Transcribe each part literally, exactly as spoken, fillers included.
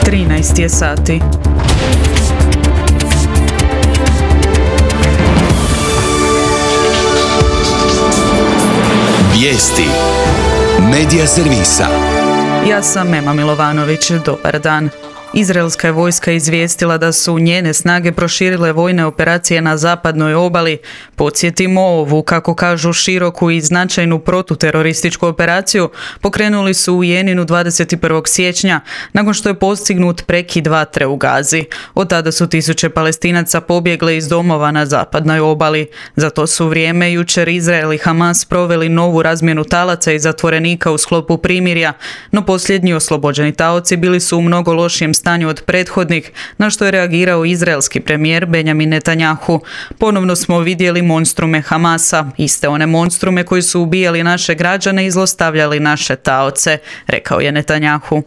trinaest je sati. Vijesti Medija servisa. Ja sam Ema Milovanović, dobar dan. Izraelska je vojska izvijestila da su njene snage proširile vojne operacije na zapadnoj obali. Podsjetimo, ovu, kako kažu, široku i značajnu protuterorističku operaciju pokrenuli su u Jeninu dvadeset prvog siječnja, nakon što je postignut prekid vatre u Gazi. Od tada su tisuće Palestinaca pobjegle iz domova na zapadnoj obali. Za to su vrijeme jučer Izrael i Hamas proveli novu razmjenu talaca i zatvorenika u sklopu primirja, no posljednji oslobođeni taoci bili su u mnogo lošijem stanju od prethodnih, na što je reagirao izraelski premijer Benjamin Netanjahu. Ponovno smo vidjeli monstrume Hamasa, iste one monstrume koji su ubijali naše građane i zlostavljali naše taoce, rekao je Netanjahu.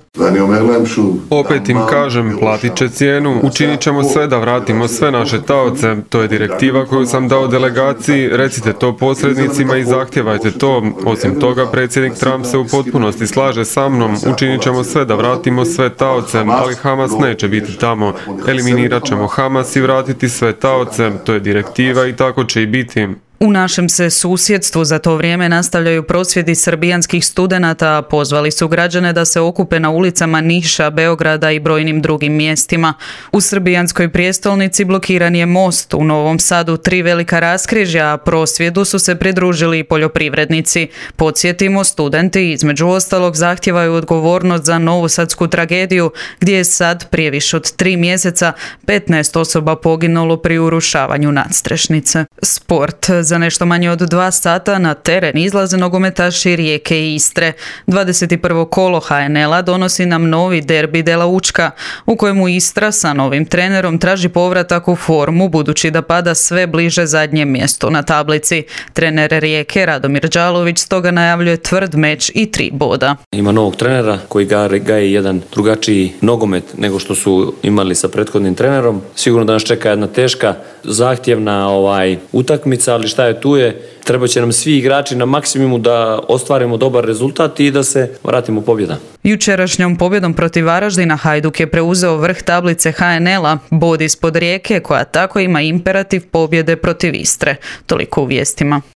Opet im kažem, platit će cijenu, učinit ćemo sve da vratimo sve naše taoce, to je direktiva koju sam dao delegaciji, recite to posrednicima i zahtjevajte to. Osim toga, predsjednik Trump se u potpunosti slaže sa mnom, učinit ćemo sve da vratimo sve taoce, ali Hamas neće biti tamo. Eliminirat ćemo Hamas i vratiti sve taoce, to je direktiva i tako će i biti. U našem se susjedstvu za to vrijeme nastavljaju prosvjedi srbijanskih studenata, a pozvali su građane da se okupe na ulicama Niša, Beograda i brojnim drugim mjestima. U srbijanskoj prijestolnici blokiran je most, u Novom Sadu tri velika raskrižja, a prosvjedu su se pridružili i poljoprivrednici. Podsjetimo, studenti između ostalog zahtijevaju odgovornost za novosadsku tragediju, gdje je sad prije više od tri mjeseca petnaest osoba poginulo pri urušavanju nadstrešnice. Sport. Za nešto manje od dva sata na teren izlaze nogometaši Rijeke i Istre. dvadeset prvo kolo ha en el-a donosi nam novi derbi Dela Učka, u kojemu Istra sa novim trenerom traži povratak u formu, budući da pada sve bliže zadnjem mjestu na tablici. Trener Rijeke Radomir Đalović stoga najavljuje tvrd meč i tri boda. Ima novog trenera koji gaje jedan drugačiji nogomet nego što su imali sa prethodnim trenerom. Sigurno da nas čeka jedna teška, zahtjevna ovaj, utakmica, ali šta je tu je, treba će nam svi igrači na maksimumu da ostvarimo dobar rezultat i da se vratimo pobjeda. Jučerašnjom pobjedom protiv Varaždina Hajduk je preuzeo vrh tablice ha en el-a, bod ispod Rijeke koja tako ima imperativ pobjede protiv Istre. Toliko u vijestima.